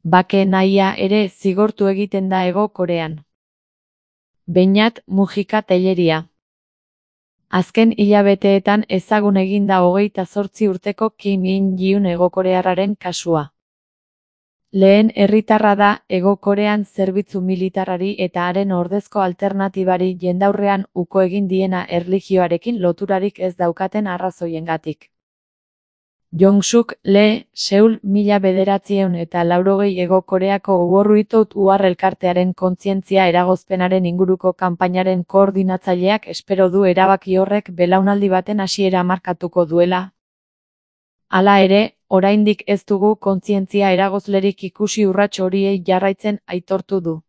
Bake nahia ere zigortu egiten da Hego Korean. Beñat Mujika Telleria. Azken hilabeteetan ezagun egin da 28 urteko Kim In-gyun Hegokorearraren kasua. Lehen herritarra da Hego Korean zerbitzu militarrari eta haren ordezko alternatibari jendaurrean uko egin diena erlijioarekin loturarik ez daukaten arrazoiengatik. Jong-suk Lee, Seul 1980 Hego Koreako War Without War elkartearen kontzientzia eragozpenaren inguruko kanpainaren koordinatzaileak espero du erabaki horrek belaunaldi baten hasiera markatuko duela. Hala ere, oraindik ez dugu kontzientzia eragozlerik ikusi urrats horiei jarraitzen aitortu du.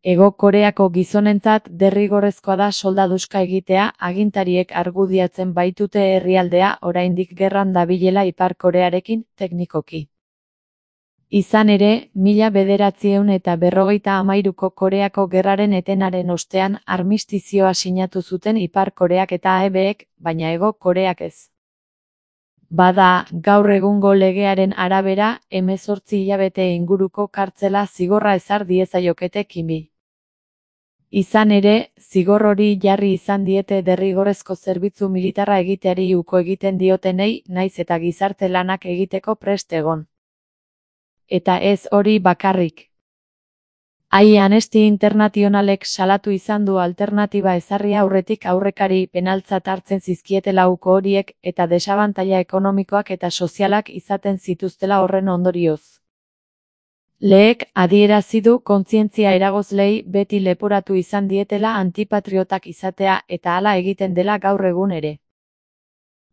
Hego Koreako gizonentzat derrigorrezkoa da soldaduska egitea, agintariek argudiatzen baitute herrialdea oraindik gerran dabilela Ipar Korearekin, teknikoki. Izan ere, 1953ko Koreako gerraren etenaren ostean armistizioa sinatu zuten Ipar Koreak eta AEBek, baina Hego Koreak ez. Bada, gaur egungo legearen arabera, 18 hilabete inguruko kartzela zigorra ezar diezaiokete Kimi. Izan ere, zigor hori jarri izan diete derrigorrezko zerbitzu militarra egiteari uko egiten diotenei, naiz eta gizarte lanak egiteko prest egon. Eta ez hori bakarrik. Amnesty Internationalek salatu izan du alternatiba ezarri aurretik aurrekari penaltzat hartzen zizkietela uko horiek eta desabantaila ekonomikoak eta sozialak izaten zituztela horren ondorioz. Leek adierazi du kontzientzia eragozlei beti leporatu izan dietela antipatriotak izatea eta hala egiten dela gaur egun ere.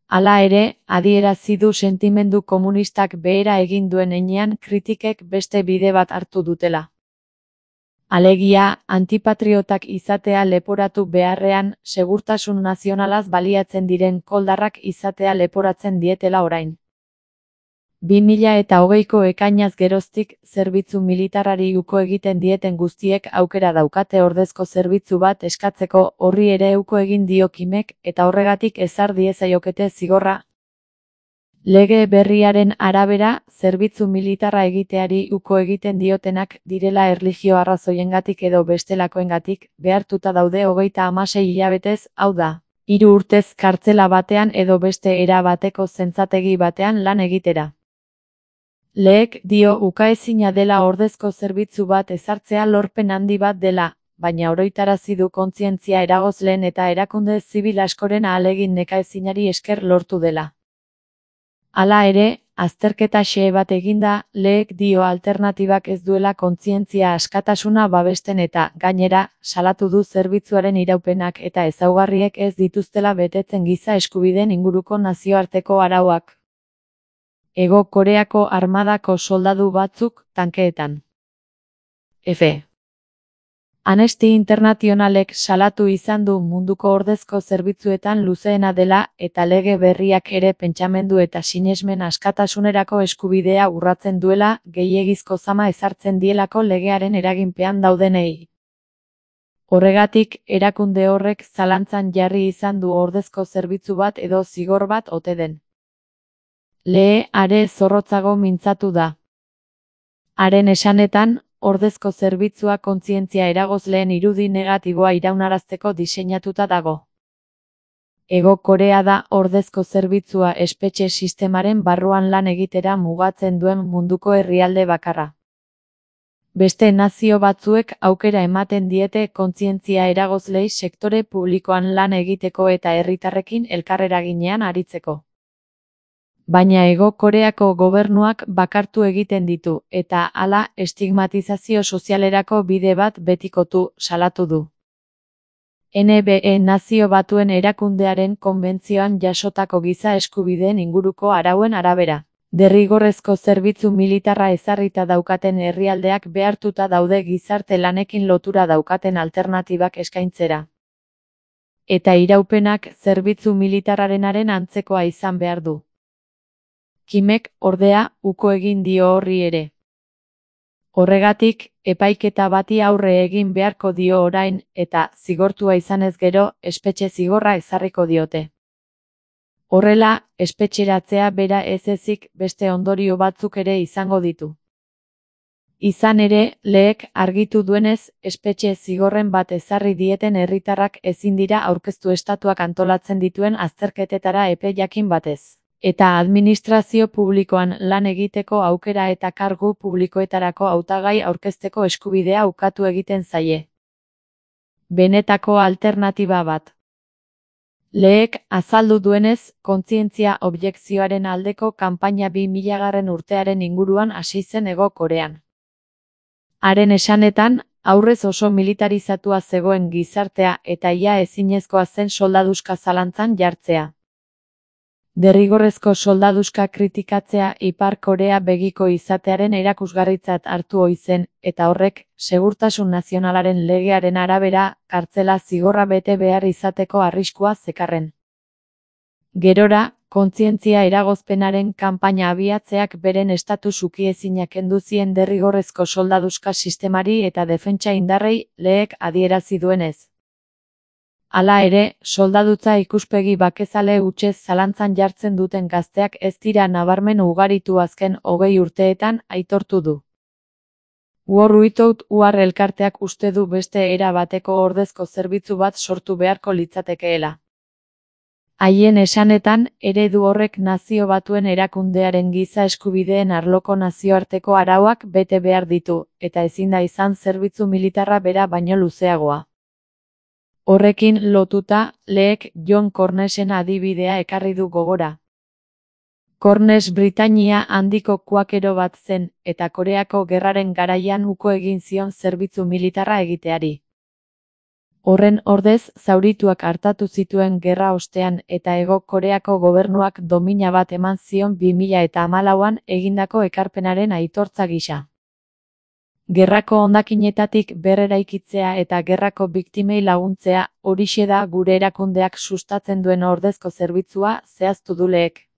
Hala ere, adierazi du sentimendu komunistak behera egin duen heinean kritikek beste bide bat hartu dutela. Alegia, antipatriotak izatea leporatu beharrean, segurtasun nazionalaz baliatzen diren koldarrak izatea leporatzen dietela orain. 2020ko ekainaz geroztik, zerbitzu militarrari uko egiten dieten guztiek aukera daukate ordezko zerbitzu bat eskatzeko, horri ere uko egin dio Kimek, eta horregatik ezar diezaiokete zigorra. Lege berriaren arabera, zerbitzu militarra egiteari uko egiten diotenak direla erlijio arrazoiengatik edo bestelakoengatik, behartuta daude 36 hilabetez, hau da, 3 urtez kartzela batean edo beste era bateko zentzategi batean lan egitera. Leek dio ukaezina dela ordezko zerbitzu bat ezartzea lorpen handi bat dela, baina oroitarazi du kontzientzia eragozleen eta erakunde zibil askoren ahalegin nekaezinari esker lortu dela. Hala ere, azterketa xe bat eginda, Leek dio alternatibak ez duela kontzientzia askatasuna babesten eta, gainera, salatu du zerbitzuaren iraupenak eta ezaugarriek ez dituztela betetzen giza eskubideen inguruko nazioarteko arauak. Hego Koreako armadako soldadu batzuk, tankeetan. F. Amnesty Internationalek salatu izan du munduko ordezko zerbitzuetan luzeena dela eta lege berriak ere pentsamendu eta sinesmen askatasunerako eskubidea urratzen duela, gehiegizko zama ezartzen dielako legearen eraginpean daudenei. Horregatik, erakunde horrek zalantzan jarri izan du ordezko zerbitzu bat edo zigor bat ote den. Lee are zorrotzago mintzatu da. Haren esanetan, ordezko zerbitzua kontzientzia eragozleen irudi negatiboa iraunarazteko diseinatuta dago. Hego Korea da ordezko zerbitzua espetxe sistemaren barruan lan egitera mugatzen duen munduko herrialde bakarra. Beste nazio batzuek aukera ematen diete kontzientzia eragozlei sektore publikoan lan egiteko eta herritarrekin elkarreraginean aritzeko. Baina Hego Koreako gobernuak bakartu egiten ditu, eta hala estigmatizazio sozialerako bide bat betikotu, salatu du. NBE Nazio Batuen Erakundearen konbentzioan jasotako giza eskubideen inguruko arauen arabera. Derrigorrezko zerbitzu militarra ezarrita daukaten herrialdeak behartuta daude gizarte lanekin lotura daukaten alternatibak eskaintzera. Eta iraupenak zerbitzu militarrarenaren antzekoa izan behar du. Kimek, ordea, uko egin dio horri ere. Horregatik, epaiketa bati aurre egin beharko dio orain, eta, zigortua izanez gero, espetxe zigorra ezarriko diote. Horrela, espetxeratzea bera ez ezik beste ondorio batzuk ere izango ditu. Izan ere, leek argitu duenez, espetxe zigorren bat ezarri dieten herritarrak ezin dira aurkeztu estatuak antolatzen dituen azterketetara epe jakin batez. Eta administrazio publikoan lan egiteko aukera eta kargu publikoetarako hautagai aurkezteko eskubidea ukatu egiten zaie. Benetako alternatiba bat. Leek azaldu duenez, kontzientzia objekzioaren aldeko kanpaina 2000. urtearen inguruan hasi zen Hego Korean. Haren esanetan, aurrez oso militarizatua zegoen gizartea eta ia ezinezkoa zen soldaduska zalantzan jartzea. Derrigorrezko soldaduska kritikatzea Ipar Korea begiko izatearen erakusgarritzat hartu ohi zen, eta horrek, segurtasun nazionalaren legearen arabera, kartzela zigorra bete behar izateko arriskua zekarren. Gerora, kontzientzia eragozpenaren kanpaina abiatzeak beren estatus ukiezinak kendu zien derrigorrezko soldaduska sistemari eta defentsa indarrei, leek adierazi duenez. Hala ere, soldadutza ikuspegi bakezale hutsez zalantzan jartzen duten gazteak ez dira nabarmen ugaritu azken 20 urteetan, aitortu du. War Without War elkarteak uste du beste era bateko ordezko zerbitzu bat sortu beharko litzatekeela. Haien esanetan, eredu horrek Nazio Batuen erakundearen giza eskubideen arloko nazioarteko arauak bete behar ditu, eta ezin da izan zerbitzu militarra bera baino luzeagoa. Horrekin lotuta, leek John Cornesen adibidea ekarri du gogora. Cornes Britainia handiko kuakero bat zen, eta Koreako gerraren garaian uko egin zion zerbitzu militarra egiteari. Horren ordez, zaurituak artatu zituen gerra ostean eta Hego Koreako gobernuak domina bat eman zion 2014an egindako ekarpenaren aitortza gisa. Gerrako hondakinetatik berreraikitzea eta gerrako biktimei laguntzea, horixe da gure erakundeak sustatzen duen ordezko zerbitzua, zehaztu du leek.